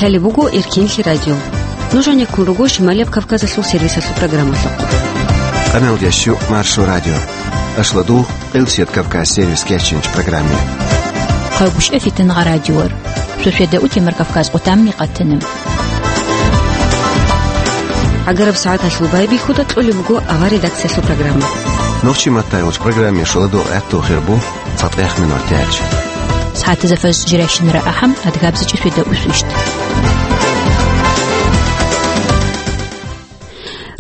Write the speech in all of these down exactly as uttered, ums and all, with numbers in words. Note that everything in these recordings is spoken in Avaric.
Гьале буго Эркенлъи радио. Нуж гьанеккун руго Шималияб Кавказалъул сервисалъул программалъухъ. Къамел ящу Маршо радио. Ашладу, Къилсият Кавказ сервис кечинч программе. Хъагушев Фитнагъа радиор. Шошеда утемар Кавказ къутамни къатана. Агараб сагӀаталъул байбихьуда кьолеб буго авар редакциялъул программа. Нохчи маттайгъуч программе шуладу гӀатту хирбу. ЦатӀех минут тяч. СагӀатазда фаз жирайщинара ахӀам, адгабзичӀи светда усвищт.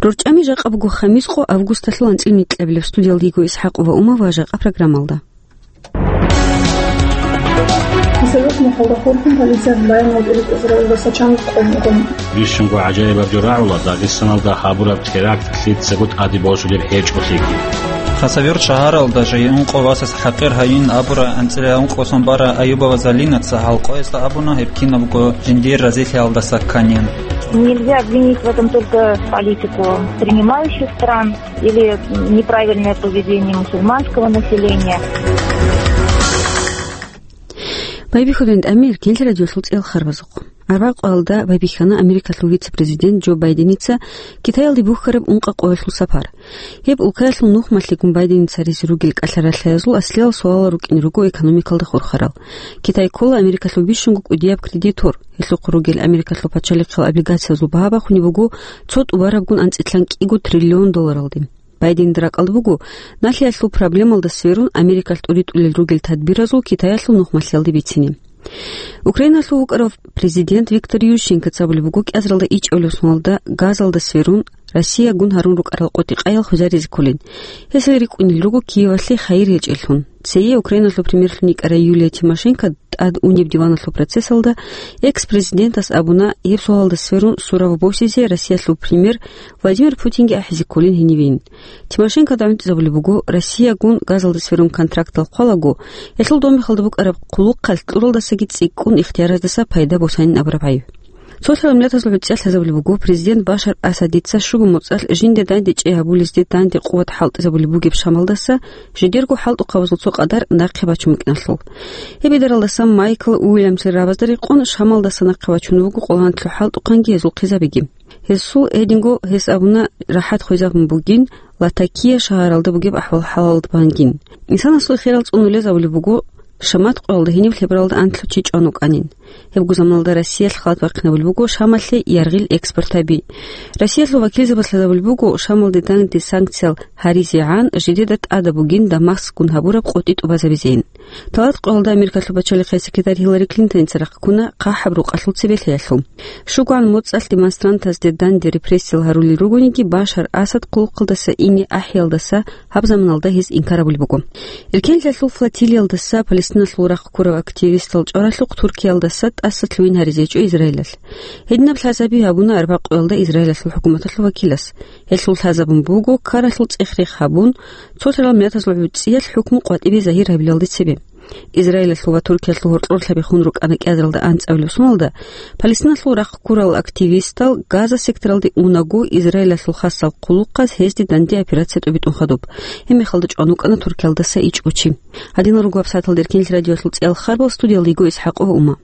РорчӀами жакъа буго хамис къо августалъул анцӀил микьабилеб. Студиялда йиго ИсхӀакъ ва Ума ва жакъа программалда. Хасавюрт махалда хурхун полициялъ баянал тӀиритӀизаралдаса чанго къо буго. Бищунго гӀажаибаб жо рагӀула Дагъистаналда гьабураб теракт лъицаго тӀаде босулеб гьечӀолъиги. Хасавюрт шагьаралда жайи ункъо васас хӀакъир гьайин абура анцӀила ункъо сон бара Аюбова Залинаца гьал къоясда абуна гьеб кинабго жиндир разилъиялдаса кканин. Нельзя обвинить в этом только политику принимающих стран или неправильное поведение мусульманского населения. Байбихьудин тӀамир, Кенлъи радиолъул цӀел харбазухъ. Арбакъалда байбихьана Америкалъул вице-президент Джо Байденица Китаялде бухьараб ункъа къоялъул сапар. Гьеб улкаялъул нухмалъигун Байденица ризе ругел кӀалъаралъаязул аслиял суалал рукӀине руго экономикалда хурхарал. Китай ккола Америкалъул бищунго кӀудияб кредитор. Гьелъухъ ругел Америкалъул пачалихъал облигациязул багьа бахунеб буго цо тӀубарабгун анцӀилъан кӀиго триллион долларалде. Байденда ракӀалда буго, налъиялъул проблемалда сверун, Америкалъ тӀуритӀулел ругел тадбиразул Китаялъул нухмалъиялде бицине. Украиналъул вукӀарав президент Виктор Ющенкоца абулеб буго, кӀиазаралда ичӀабилеб соналда газалда сверун, Россиягун гьарун рукӀарал къотӀи-къаял хвезаризе кколин. Гьесие рикӀкӀунел руго Киевалъе хайир гьечӀеллъун. Цее Украиналъул премьерлъун йикӀарай Юлия Тимошенко тӀад унеб диваналъул процессалда экс-президентас абуна, гьеб суалалда сверун сурав босизе Россиялъул премьер Владимир Путинги ахӀизе кколин гьенивин. Тимошенкода гӀунтӀизабулеб буго, Россиягун газалда сверун контрактал хъвалаго, гьелъул дом мехалда букӀараб хъулухъалъ кьуралдасаги цӀикӀкӀун ихтияраздаса пайда босанин абураб гӀайиб. Цолъарал миллатазул гӀуцӀиялъ лъазабулеб буго президент Башар Асадица щуго моцӀалъ жинде данде чӀей гьабулезде данде къуват хӀалтӀизабулеб бугеб Шамалдаса жидерго хӀалтӀухъабазул цо къадар нахъе бачун букӀиналъул. Гьеб идаралдасан Майкл Уильямсил рабазда рекъон Шамалдаса нахъе бачун вуго къолгьанлъу хӀалтӀухъанги гьезул хъизабиги. Гьесул гьединго гьес абуна рахӀат хвезабун бугин, Латакия шагьаралда бугеб ахӀвал-хӀалалда бангин. Инсанасул хирал цӀунулезабулеб буго, Шамат къоялда гьениб лъебаралда анлъго чи чӀван вукӀанин. Гьебго заманалда Россиялъ халат бахъинабулеб буго Шамалъе яргъил экспортаби. Россиялъул вакилзабаз лъазабулеб буго Шамалде данде санкциял гьаризегӀан жидеда тӀадаб бугин Дамаскгун гьабураб къотӀи тӀубазабизейин. Талат къоялда Америкалъул пачалихъе секретарь Хиллари Клинтоница рахъ ккуна хъахӀаб рукъалъул цебе лъеялъул. ШугӀан моцӀалъ демонстрантазде данде репрессиял гьарулел ругониги, Башар Асад хъулухъалдаса ине ахӀиялдаса гьаб заманалда гьез инкар абулеб буго. Эркенлъиялъул флотилиялдаса Палестиналъул рахъ ккурав активистал чӀваралъухъ Туркиялдаса тӀаса лъугьин гьаризе гьечӀо Израилалъ. Гьединаб лъазаби гьабуна арбакъуялда Израилалъул хӀукуматалъул вакилас. Гьелъул лъазабун буго, ккаралъул цӀех-рех гьабун, цолъарал миллатазул гӀуцӀиялъ хӀукму къватӀибе загьир гьабилалде цебе. Израилалъул ва Туркиялъул гьоркьорлъаби хун рукӀана кӀиазаралда анцӀабилеб соналда, Палестиналъул рахъ ккурал активистал Газа секторалде унаго, Израилалъул хасал хъулухъаз гьезде данде операция тӀубитӀун хадуб. Гьеб мехалда чӀван вукӀана Туркиялдаса ичӀго чи. Гьадинал руго гьабсагӀаталда Эркенлъи радиоялъул цӀиял харбал, студиялда йиго ИсхӀакъова Ума.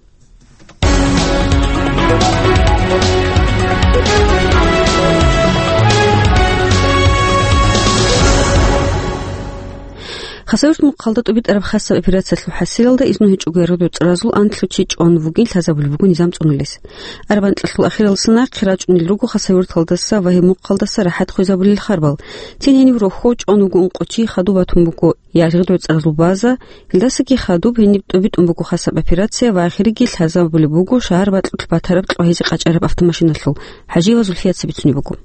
Хасавюрт мухъалда тӀубитӀараб хасаб операциялъул хӀасилалда изну гьечӀого яргъиб цӀаразул анлъго чи чӀван вугин лъазабулеб буго низам цӀунулес. Арбан кьалъул ахиралдаса нахъе рачӀунел руго Хасавюрталдаса ва гьеб мухъалдаса рахӀат хвезабулел харбал. Цин гьенив рохьо чӀван вуго ункъо чи, хадуб батун буго яргъиб цӀаразул база, гьелдасаги хадуб гьениб тӀубитӀун буго хасаб операция ва ахирги лъазабулеб буго шагьар бакьулъ батараб кьвагьизе къачӀараб автомашиналъул. ХӀажиева Зульфияца бицунеб буго.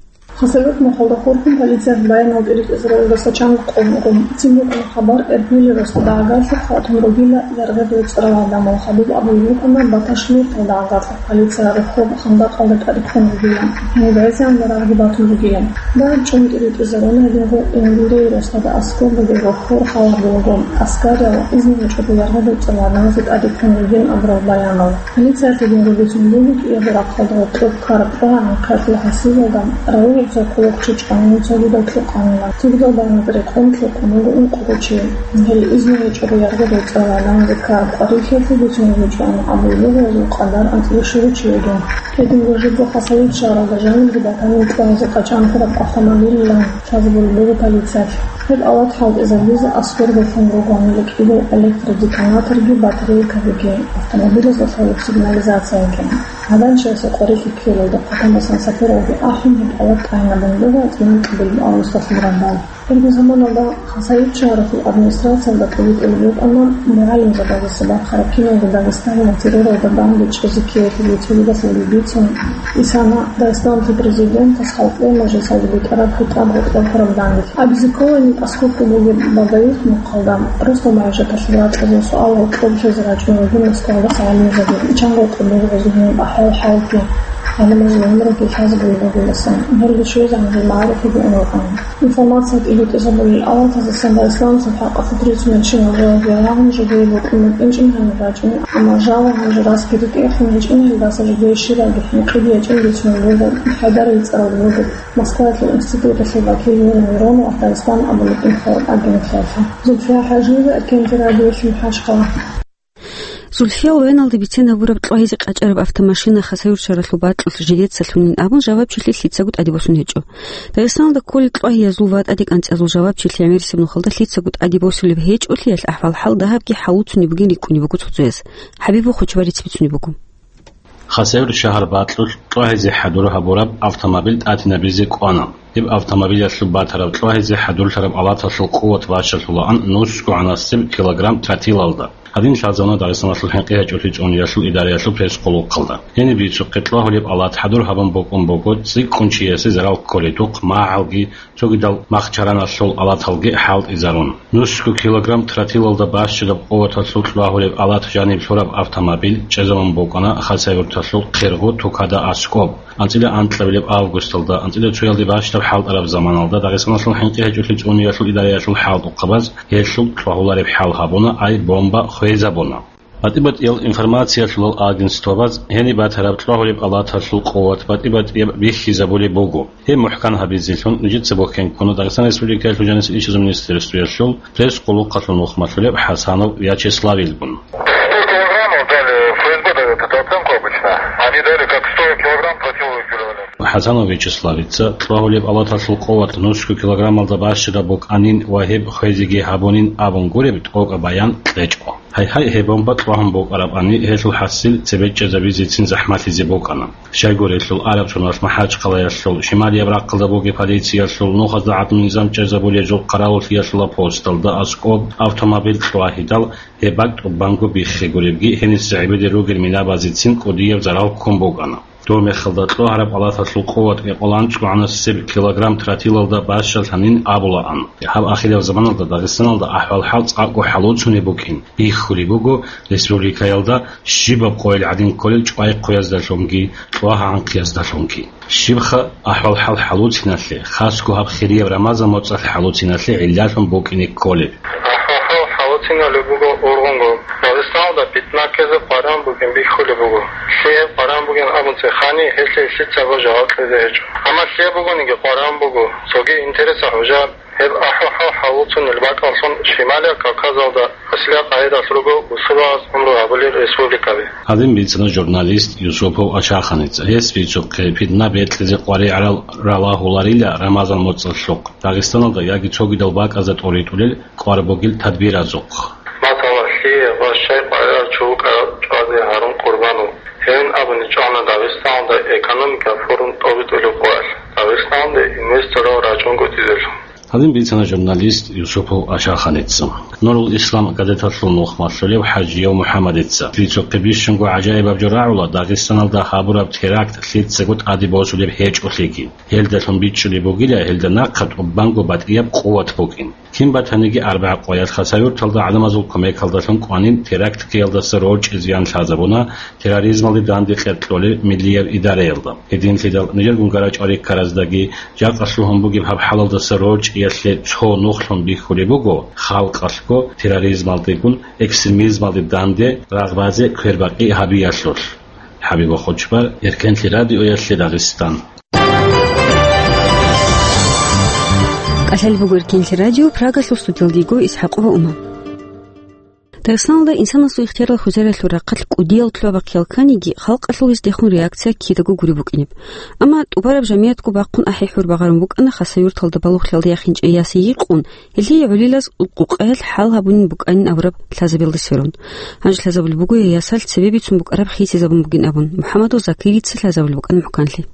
Хасавюрт мухъалда хурхун полициялъ баянал тӀиритӀизаралдаса чанго къо буго. Цин букӀана хабар, Эрбили росда агарлъухъ хатун ругила яргъиб цӀарал гӀадамал. Хадуб абулеб букӀана, Баташмирталда агарлъухъ полиция рохьоб хандакъалда тӀаде ккун ругила. Гьениб гӀезегӀан рагъги батун ругила. Дагьаб чӀун тӀиритӀизаруна гьединго Энгурей росдада аскӀоб бугеб рохьор халаб буго. Аскариял изну гьечӀого яргъиб цӀарал гӀадамазе тӀаде ккун ругин абурал баянал. Полициялъ гьединго бицун буго, кӀиябго рахъалда гьоркьоб ккараб тӀогӀан нахъеялъул хӀасилалда равоги Цо хъулухъчи чӀванин цогидал лъукъанила. Цогидал баназда рекъон лъукъун буго ункъого чи. Гьел изну гьечӀого яргъи рецӀала, данде ккараб къварилъиялъе бицунеб гьечӀоан абулеб буго гьезул къадар анцӀила щуго чи вугин. Гьединго жибго Хасавюрт шагьаралда жанибги батани кьвазе къачӀан хураб автомобилилан лъазабулеб буго полициялъ. Гьеб ават хӀалтӀизабизе аскӀордалъун ругоанила кӀиго электродетонаторги батарейкабиги, автомобилазда лъолеб сигнализацияги. Гьадан чиясе къварилъи ккелалда хъатамасан сапаралги ахӀун гьеб ават тӀагӀинабун буго анцӀила микьабилеб августалъул рандал. Гьебги заманалда Хасавюрт шагьаралъул администрациялда тӀибитӀулеб букӀана мугӀалимзабазеца бахъараб киналго Дагъистаналда терроралда данде чӀезе ккеялъул рецедивалъулги бицун, исана Дагъистаналъул президентас халкъалъе мажлисалда битӀараб хитӀаб гъоркьоб хураб данде. Абизе ккола гьениб аскӀобго бугеб Балдаирт мухъалда, росдал магӀишаталъул ракьазул суал-гьоркьоб лъезе рачӀун ругин Москвалдаса гӀалимзаби, чанго къуллугъазул гьениб ахӀвал-хӀалги, гӀалимазул гӀумруги лъазабулеб бугеласан. Гьелги щвезегӀан гьел магӀарифаги ун рукӀана. Информация тӀибитӀизабулел аватаздасан Дагъистаналъул хӀакъалъулъ рицунел чинал жаваб рагӀун жидее бокьун букӀинчӀин гьаниб рачӀун, амма жава гьанже расги ритӀухълъун гьечӀин, гьелдаса жидее щибабги хӀинкъиги гьечӀин бицунеб буго, ХӀайдар бицараб буго. Москваялъул институталъул вакил Нина Миронова Дагъистан абулеб информагенталъе. Зульфия ХӀажиева, Эркенти радиоялъ, МахӀачхъала. Зульфиял вайналде бицен гьабураб кьвагьизе къачӀараб автомашина Хасавюрт шагьаралъул бакьулъ жидеца лъунин абун жавабчилъи лъицаго тӀаде босун гьечӀо. Дагъистаналда кколел кьвагьиязул ва тӀадекӀанцӀиязул жавабчилъи гӀемерисеб нухалда лъицаго тӀаде босулеб гьечӀолъиялъ ахӀвал-хӀал дагьабги хӀалуцунеб бугин рикӀкӀунеб буго цоцазе. ХӀабиб Бохочбар реццбицунеб буго. Хасавюрт шагьар бакьулъ кьвагьизе хӀадур гьабураб автомобиль тӀатинабизе кӀвана. Гьеб автомобилялъул батараб кьвагьизе хӀадурлъараб алаталъул къуват бащалъулаан нусгогӀанасеб килограмм тротилалда. Гьадин лъазабуна Дагъистаналъул хӀинкъи гьечӀолъи цӀуниялъул идараялъул пресс-къулухъалда. Гьениб бицухъе кьвагьулеб алат хӀадур гьабун букӀун буго цӀикӀкӀун чиясе зарал кколедухъ, магӀалги, цогидал махчараналъул алаталги хӀалтӀизарун. Нусго килограмм тротилалда бащадаб къуваталъул кьвагьулеб алат жаниб лъураб автомобиль чӀезабун букӀана Хасавюрталъул Хъиргъу тукада аскӀоб. АнцӀила анкьабилеб августалда, анцӀила цоялде бащдаб хӀалтӀараб заманалда Дагъистаналъул хӀинкъи гьечӀолъи цӀуниялъул идараялъул хӀалтӀухъабаз гьелъул кьвагьулареб хӀал гьабуна, ай бомба хвезабуна. БатӀи-батӀиял информациялъулал агентствабаз гьениб батараб кьвагьулеб алаталъул къуват батӀи-батӀияб бихьизабулеб буго. Гьеб мухӀкан гьабизелъун нижеца бухьен ккуна Дагъистан Республикаялъул жанисел ишазул министерствоялъул пресс-къулухъалъул нухмалъулеб ХӀасанов Вячеславил бун. Сто килограммов дали ФСБ дает эту оценку обычно. Они дали как сто килограмм противоугревателя. ХӀасанов Вячеславица кьвагьулеб алаталъул къуват нусго килограммалда бащадаб букӀанин ва гьеб хвезеги гьабунин абун гуреб тӀокӀаб баян кьечӀо. Гьайгьай, гьеб бомба кьвагьун букӀарабани, гьелъул хӀасил цебе чӀезабизецин захӀмалъизе букӀана. Щайгурелъул араб соналъ МахӀачхъалаялъул шималияб рахъалда бугеб полициялъул нухазда гӀадамал низам чӀезабулезул хъаравуллъиялъула посталда аскӀоб автомобиль кьвагьидал, гьеб бакӀ тӀубанго биххигуребги, гьениса гӀебеде ругел минабазецин кӀудияб зарал ккун букӀана. Доб мехалда кьвагьараб алаталъул къуват экъоланцӀгӀанасеб килограмм тротилалда бащалъанин абулаан. Гьаб ахираб заманалда Дагъистаналда ахӀвал-хӀал цӀакъго хӀалуцунеб букӀин бихьулеб буго республикаялда щибаб къойил гӀадин кколел чӀвай-хъуяздалъунги кьвагьа-анхъияздалъунги. Щибха ахӀвал-хӀал хӀалуциналъе, хасго гьаб хирияб Рамазан моцӀалъ хӀалуциналъе гӀиллалъун букӀине кколеб? АхӀвал-хӀал хӀалуциналъе буго ургъунго. Дагъистаналда питна ккезе къваригӀун букӀин бихьулеб буго. Лъие къваригӀун бугин абун цехани, гьелъие лъицаго жаваб кьезе гьечӀо. Амма лъие бугониги къваригӀун буго, цоги интереса гьужа. Гьеб ахӀвал-хӀал хӀалуцунел бакӀаллъун Шималияб Кавказалда аслияб къагӀидалъ руго бусурбабаз гӀумру гьабулел республикаби. Гьадин бицана журналист Юсупов Ашаханица. Гьес бицухъе, питна бекьизе къваригӀарал ралагьуларила Рамазан моцӀалъухъ, Дагъистаналда яги цогидал бакӀазда тӀоритӀулел кӀвар бугел тадбиразухъ. Масала, лъие ва щай къваригӀарав чи вукӀарав ЧӀвазе Гьарун Къурбанов. Гьевин абуни чӀвана Дагъистаналда экономика форум тӀобитӀулеб къоялъ, Дагъистаналде инвесторал рачӀунгутӀизелъун. Гьадин бицана журналист Юсупов Ашаханица. Нурул Ислам газеталъул нухмалъулев ХӀажияв МухӀаммадица. Бицухъе бищунго гӀажаибаб жо рагӀула Дагъистаналда гьабураб теракт лъицаго тӀаде босулеб гьечӀолъиги. Гьелдалъун бичӀчӀулеб бугила гьелда нахъа тӀубанго батӀияб къуват букӀин. Кин батаниги, арбагӀа къоялъ Хасавюрталда гӀадамазул кумекалдалъун кӀванин теракт ккеялдаса рорчӀи зиян лъазабуна терроризмалде данде кьеркьолел миллияб идараялда. Гьединлъидал нижер гунгарачӀвариккараздаги жакъа лъугьун бугеб гьаб хӀалалдаса рорчӀиялъе цо нухлъун бихьулеб буго, халкъалъго терроризмалдегун экстремизмалде данде рагъбазе квербакъи гьабиялъулъ. ХӀабиб Бохочбар, Эркенлъи радиоялъе, Дагъистан. КӀалъалеб буго Эркенлъи радио, Прагалъул студиялда йиго ИсхӀакъова Ума. Дагъистаналда инсанасул ихтиярал хвезариялъул рахъалъ кӀудиял лъугьа-бахъи кканиги, халкъалъул гьесдехун реакция кидаго гуреб букӀинеб. Амма тӀубараб жамигӀатго бахъун ахӀи-хӀур багъарун букӀана Хасавюрталда балугълъиялда яхинчӀей яс йикъун, гьелъие гӀолилаз къукъаялъ хӀал гьабунин букӀанин абураб лъазабиялда сверун. Гьанже лъазабулеб буго гьей ясалъ цебе бицун букӀараб хисизабун бугин абун, МухӀаммадул Закирица лъазабулеб букӀана мухӀканлъи.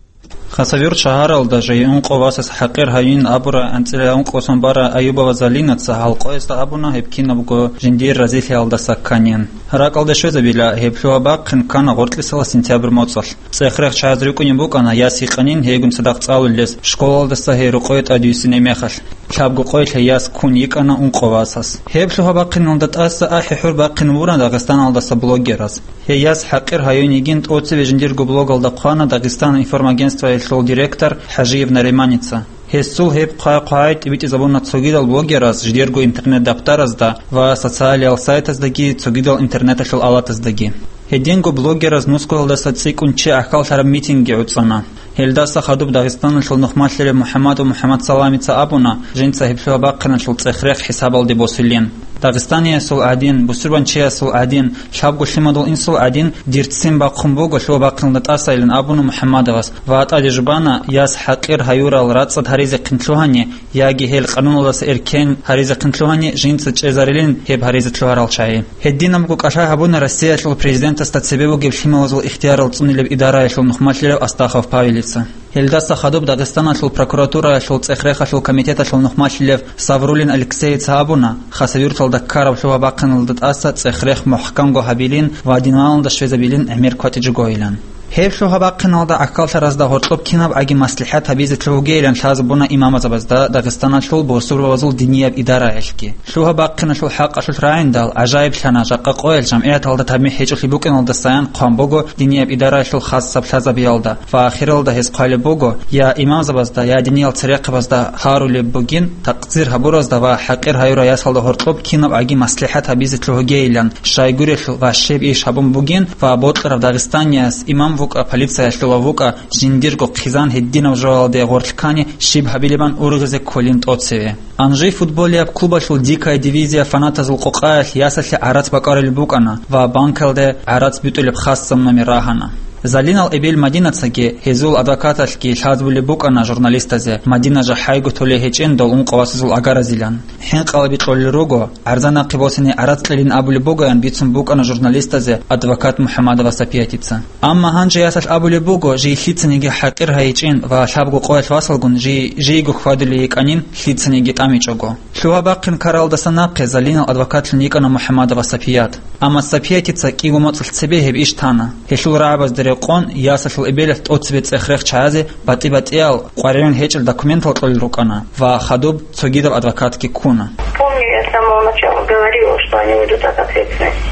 Хасавюрт шагьаралда жай ункъо васас ХӀакъир гьаюнин абурай анцӀила ункъо сон барай Аюбова Залинаца гьал къоясда абуна гьеб кинабго жиндир разилъиялдаса кканин. РакӀалде щвезабила, гьеб лъугьа-бахъин ккана гъоркьисала сентябрь моцӀалъ. ЦӀех-рех чагӀаз рикӀкӀунеб букӀана яс йикъанин гьейгун цадахъ цӀалулелъ, школалдаса гьей рукъое тӀадвуссинеб мехалъ. Лъабго къоялъ гьей яс ккун йикӀана ункъо васас. Гьеб лъугьа-бахъиналда тӀаса ахӀи-хӀур бахъин вуна Дагъистаналдаса блогераз. Гьей яс ХӀакъир гьаюн йигин тӀоцеве жиндирго блогалда хъвана Дагъистан информагентствоялъул директор ХӀажиев Нариманица. Гьесул гьеб хъвай-хъвай тӀибитӀизабуна цогидал блогераз жидерго интернет-дабтаразда ва социалиял сайтаздаги цогидал интернеталъул алатаздаги. Гьединго блогераз нусгоялдаса цӀикӀкӀун чи гӀахьаллъараб митинги гӀуцӀана. Гьелдаса хадуб Дагъистаналъул нухмалъилев МухӀаммадов МухӀаммадсаламица абуна, жинца гьеб лъугьа-бахъиналъул цӀех-рех хӀисабалде босулин. Дагъистаниясул гӀадин, бусурбанчиясул гӀадин, лъабго лъимадул инсул гӀадин, дир ццин бахъун буго лъугьа-бахъиналда тӀасайилан абуна МухӀаммадовас ва тӀаде жубана, яс ХӀакъир гьаюрал рацӀцӀад гьаризехъин лъугьани, яги гьел къануналдаса эркен гьаризехъин лъугьани, жинца чӀезарилин гьеб гьаризе лъугьарал чагӀи. Гьединабго кӀалъай гьабуна Россиялъул президентасда цебе бугеб лъималазул ихтиярал цӀунилеб идараялъул нухмалъилев Астахов Павелица. Гьелдаса хадуб Дагъистаналъул прокуратураялъул цӀех-рехалъул комитеталъул нухмалъилев Саврулин Алексеица абуна, Хасавюрталда ккараб лъугьа-бахъиналда тӀаса цӀех-рех мухӀканго гьабилин ва диналда щвезабилин гӀемер кватӀиджугойилан. Гьеб лъугьа-бахъиналда гӀахьаллъаразда гьоркьоб кинабгӀаги маслихӀат гьабизе лъугьугейилан лъазабуна имамазабазда Дагъистаналъул бусурбабазул динияб идараялъги. Лъугьа-бахъиналъул хӀакъалъулъ рагӀиндал, гӀажаиблъана, жакъа къоялъ жамгӀияталда тамихӀ гьечӀолъи букӀиналдасаян хъван буго динияб идараялъул хасаб лъазабиялда ва ахиралда гьез хъвалеб буго, я имамзабазда, я диниял церехъабазда гьарулеб бугин, такъдир гьабуразда ва ХӀакъир гьаюрай ясалда гьоркьоб кинабгӀаги маслихӀат гьабизе лъугьугейилан, щайгурелъул ва щиб иш гьабун бугин ва бокьарав дагъистанияс имам вукӀа, полициялъулав вукӀа, жиндирго хъизан гьединаб жоялде гъорлъ ккани щиб гьабилебан ургъизе кколин тӀоцеве. Анжи футболияб клубалъул «Дикая дивизия» фанатазул къокъаялъ ясалъе гӀарац бакӀарулеб букӀана ва банкалде гӀарац битӀулеб хасаб номер рагьана. Залинал эбел Мадинацаги гьезул адвокаталъги лъазабулеб букӀана журналистазе, Мадина жахӀайго толей гьечӀин дол ункъо васазул агаразилан. ХӀинкъалаби кьолел руго, гӀарза нахъе босани гӀарац кьелин абулеб бугоян бицун букӀана журналистазе адвокат МухӀаммадова Сапиятица. Амма гьанже ясалъ абулеб буго, жий лъицаниги ХӀакъир гьайичӀин ва лъабго къоялъ васалгун жий, жийго хьвадулей йикӀанин лъицаниги тӀамичӀого. Лъугьа-бахъин ккаралдаса нахъе Залинал адвокатлъун йикӀана МухӀаммадова Сапият. Амма Сапиятица кӀиго моцӀалъ цебе гьеб иш тана. Гьелъул рагӀабазда рекъон, ясалъул эбелалъ тӀоцебе цӀех-рех чагӀазе батӀи-батӀиял къваригӀун гьечӀел документал кьолел рукӀана ва хадуб цогидаб адвокатги ккуна. Помню, я с самого начала говорила, что они уйдут от ответственности.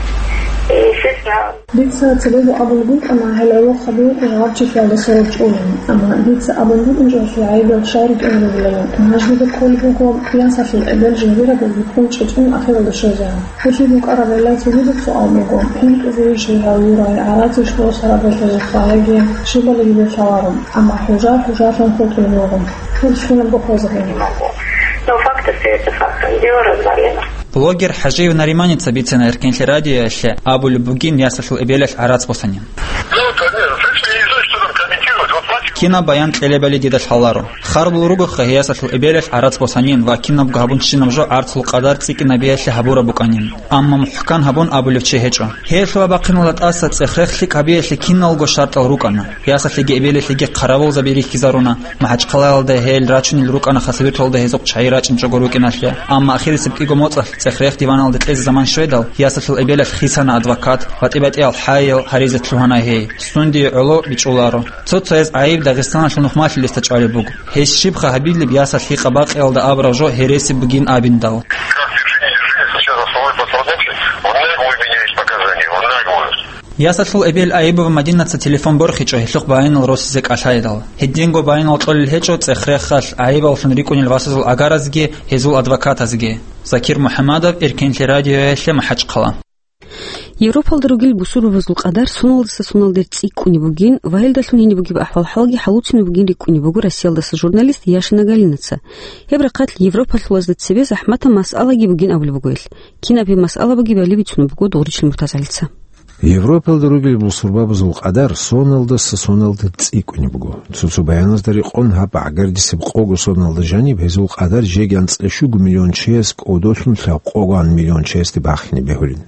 И, естественно, Дица цебего абулеб букӀана гьел гӀолохъаби гьаб чилъиялда сораб чӀолин, амма дица абун букӀинчӀолъи гӀайибал щай ритӀун ругелали. Гьанже дида кколеб буго, ясалъул эбел жиндираб биххун чӀечӀун ахиралда щвезегӀан. Гьелъие букӀараб гӀилла цогидаб суал буго, хӀинкъизейищ гьав юрай, гӀарацищ босараб гьелъ жахъа яги щибалиги бетӀаларо, амма хӀужа хӀужалъун хутӀулеб буго. Гьелъ кинабго хвезабуна. Но факт остаётся фактом. Дело развалено. Блогер ХӀажиев Нариманица бицина Эркенлъи радиоялъе, абулеб бугин ясалъул эбелалъ гӀарац босанин. Кинаб баян кьелебали дида лъаларо. Харбул ругоха гьей ясалъул эбелалъ гӀарац босанин ва кинабго гьабунщинаб жо гӀарцул къадар цӀикӀкӀинабиялъе гьабураб букӀанин. Амма мухӀкан гьабун абулев чи гьечӀо. Гьей лъугьа-бахъиналда тӀаса цӀех-рех лъикӀ гьабиялъе киналго шартӀал рукӀана. Ясалъеги эбелалъеги хъаравулзаби рихьизаруна. МахӀачхъалаялда гьел рачунел рукӀана Хасавюрталда гьезухъ чагӀи рачӀинчӀого рукӀиналъе. Амма ахирисеб кӀиго моцӀалъ цӀех-рех диваналде кьезе заман щведал, ясалъул эбелалъ хисана адвокат, батӀи-батӀиял хӀаял гьаризе лъугьана гьей. Сундие гӀоло бичӀчӀуларо. Цо-цояз гӀайиб Дагъистаналъул нухмалъилесда чӀвалеб буго. Гьес щибха гьабилеб ясалъ гьикъа-бакъиялда абураб жо гьереси бугин абиндал? Как ты не держи, я сейчас основной пострадавший, он нагло меняет показания, он нагло. Ясалъул эбел Аюбова Мадинаца телефон борхичӀо гьелъухъ баянал росизе кӀалъайдал. Гьединго баянал кьолел гьечӀо цӀех-рехалъ гӀайибаллъун рикӀкӀунел васазул агаразги гьезул адвокатазги. Закир МухӀаммадов, Эркенлъи радиоялъе, МахӀачхъала. Европалда ругел бусурбабазул къадар соналдаса соналде цӀикӀкӀунеб бугин ва гьелдалъун гьениб бугеб ахӀвал-хӀалги хӀалуцинаб бугин рикӀкӀунеб буго Россиялдаса журналист Яшина Галинаца. Гьеб рахъалъ Европалъулазда цебе захӀматаб масъалаги бугин абулеб буго гьелъ. Кинаб гьеб масъала бугебали бицунеб буго Дугъричил МуртазагӀалица. Европалда ругел бусурбабазул къадар соналдаса соналде цӀикӀкӀунеб буго. Цо-цо баяназда рекъон, гьаб агардисеб къого соналда жаниб гьезул къадар жеги анцӀила щуго миллион чияс кӀодолъун лъабкъогоан миллион чиясде бахине бегьулин.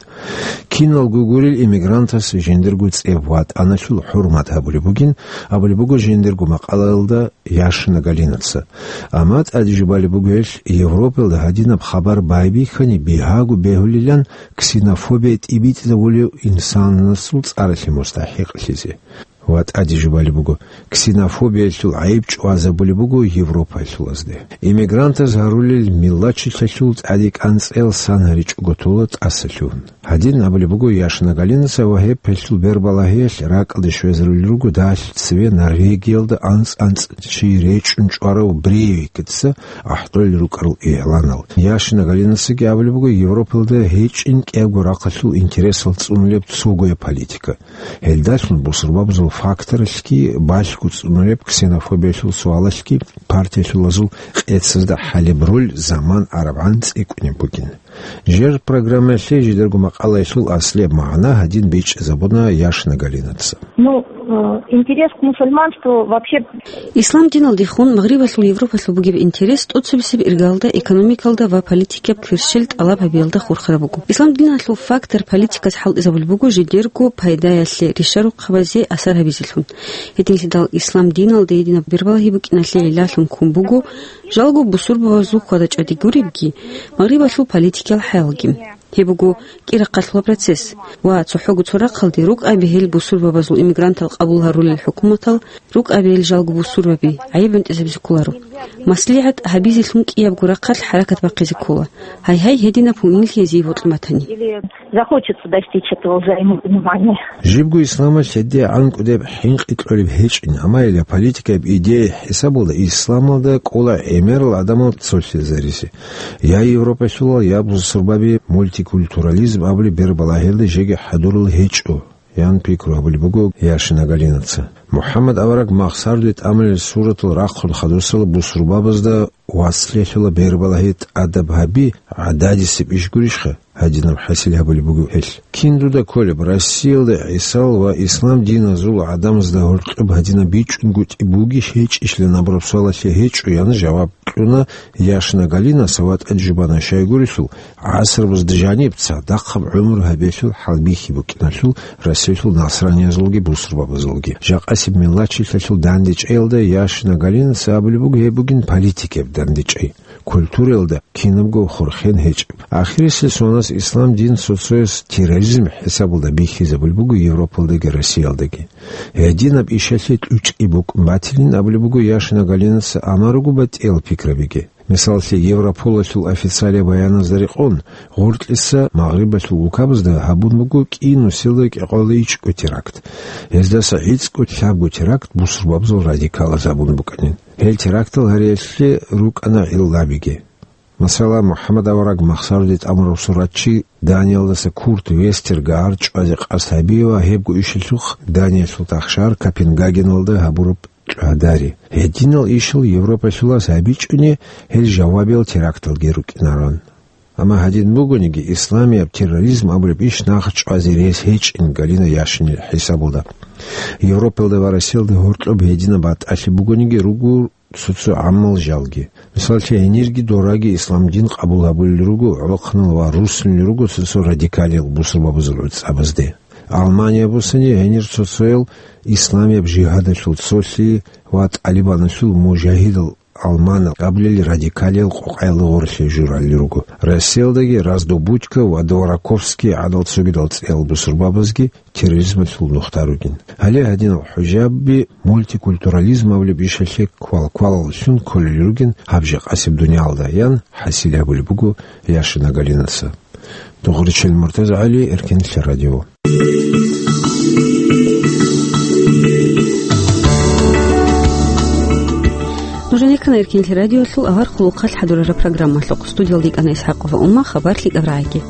Киналго гурел иммигрантас жиндирго цӀеб ватӀаналъул хӀурмат гьабулеб бугин абулеб буго жиндирго макъалаялда Яшина Галинаца. Амма тӀаде жубалеб буго гьелъ, Европалда гьадинаб хабар байбихьани бигьаго бегьулилан ксенофобия тӀибитӀизабулев инсанасул цӀаралъе мустахӀикълъизе. Ва тӀаде жубалеб буго, ксенофобиялъул гӀайиб чӀвазабулеб буго Европалъулазде. Иммигрантаз гьарулел миллатчилъалъул тӀаде кӀанцӀел сан гьаричӀого тола тӀасалъугьун. Гьадин абулеб буго Яшина Галинаца ва гьеб гьелъул бербалагьиялъ ракӀалде щвезарулел руго дагьалъи цеве Норвегиялда анцӀ-анцӀ чи речӀчӀун чӀварав Брейвикица ахӀдолел рукӀарал игъланал. Яшина Галинацаги абулеб буго Европалда гьечӀин кӀиябго рахъалъул интересал цӀунулеб цогояб политика. Гьелдалъун бусурбабазул факторалъги балъго цӀунулеб ксенофобиялъул суалалъги партиялъулазул къецазда хӀалеб роль заман арабгӀан цӀикӀкӀунеб бугин. Жер программаялъе жидерго макъалаялъул аслияб магӀна гьадин бичӀчӀизабуна Яшина Галинаца. Ну, э, интерес к мусульманству вообще. Ислам диналдехун Магърибалъул Европалъул бугеб интерес тӀоцебесеб иргалда, экономикалда ва политикияб кверщел тӀалаб гьабиялда хурхараб буго. Ислам диналъул фактор политикас хӀалтӀизабулеб буго жидерго пайдаялъе, ришарухъабазе асар гьабизелъун. Гьединлъидал ислам диналда гьединаб бербалагьи букӀиналъе гӀиллалъун ккун буго жалго бусурбабазул хьвада-чӀвади гуребги, Магърибалъул политикиял хӀалги. Гьеб буго кӀирахъалъула процесс ва цохӀого цо рахъалде рукӀаби гьел бусурбабазул иммигрантал къабул гьарулел хӀукуматал, рукӀаби гьел жалго бусурбаби гӀайиб гӀунтӀизабизе кколаро. МаслигӀат гьабизелъун кӀиябго рахъалъ хӀаракат бахъизе ккола. Гьай-гьай, гьединаб гьунилъи гьезие бокьун батани. Или захочется достичь этого взаимопонимания. Жибго исламалъ гьедигӀан кӀудеб хӀинкъи кьолеб гьечӀин, амма гьеле политикаяб идея хӀисабалда исламалда кӀола гӀемерал гӀадамал цолъизаризе. Я Европалъулал, я бусурбаби мультикультурализм абулеб бербалагьиялда жеги хӀадурал гьечӀо, ян пикру гьабулеб буго Яшина Галинаца. МухӀаммад авараг махсаруде тӀамулел суратал рахъун хадусала бусурбабазда вацлъиялъула бербалагьи тӀадаб гьаби гӀададисеб иш гурищха? Гьадинаб хӀасил гьабулеб буго гьелъ. Кин дуда кколеб, Россиялда ГӀисал ва ислам диназул гӀадамазда гьоркьоб гьадинаб бичӀчӀунгутӀи бугищ гьечӀищ абураб суалалъе гьечӀо, ян жаваб кьуна Яшина Галинаса ва тӀаде жубана, щайгурелъул гӀасрабазда жаниб цадахъаб гӀумру гьабиялъул хӀалбихьи букӀиналъул Россиялъул насраниязулги бусурбабазулги. Жакъасеб миллатчилъалъул дандечӀеялда Яшина Галинаца абулеб буго гьеб бугин политикаяб дандечӀей. Культураялда кинабго хурхен гьечӀеб. Ахирисел сонас ислам дин цо-цояс терроризм хӀисабалда бихьизабулеб буго Европалдаги Россиялдаги. Гьединаб ишалъе кьучӀи букӀун батилин абулеб буго Яшина Галинаца, амма руго батӀиял пикрабиги. Мисаллъи, Европолалъул официалияб баяназда рекъон, гъоркьиса Магърибалъул улкабазда гьабун буго кӀи нусилда кӀикъоялда ичӀго теракт. Гьездаса гӀицӀго лъабго теракт бусурбабазул радикалаз гьабун букӀанин. Гьел терактал гьариялъе рукӀана гӀиллабиги. Масала, МухӀаммад авараг махсаруде тӀамурав суратчи Даниялдаса Курт Вестергар чӀвазе къасд гьабиева гьебго ишалъухъ Даниялъул тахшар Копенгагеналда гьабураб кьадари. Гьединал ишал Европалъулас гьабичӀони, гьел жавабиял теракталги рукӀинаран. Амма гьадин бугониги, исламияб терроризм абулеб иш нахъ чӀвазе рес гьечӀин Галина Яшинил хӀисабалда. Европалда ва Россиялда гьоркьоб гьединаб батӀалъи бугониги, руго цо-цо гӀамал жалги. Мисаллъи, гьенирги дораги ислам дин къабул гьабулел руго гӀолохъанал ва руссунел руго цо-цо радикалиял бусурбабазул гӀуцӀабазде. Алмания бусани гьенир цо-цоял исламияб жигьадалъул цолъи ва ТӀалибаналъул мужагьидал алманал абулел радикалиял къокъаялда гъорлъе журалел руго. Россиялдаги Раздобудько ва Двораковский гӀадал цогидал цӀеял бусурбабазги терроризмалъул нухда ругин. Гьале гьадинал хӀужаби мультикультурализм абулеб ишалъе квал-квалаллъун кколел ругин гьаб жакъасеб дуниялда, ян хӀасил гьабулеб буго Яшина Галинаса. Дугъричил МуртазагӀали, Эркенлъи радио. Нуж гьанир ккана Эркенлъи радиолъул авар хъулухъалъ хӀадурараб программалъухъ. Студиялда йикӀана ИсхӀакъова Умма, хабар лъикӀаб рагӀиги.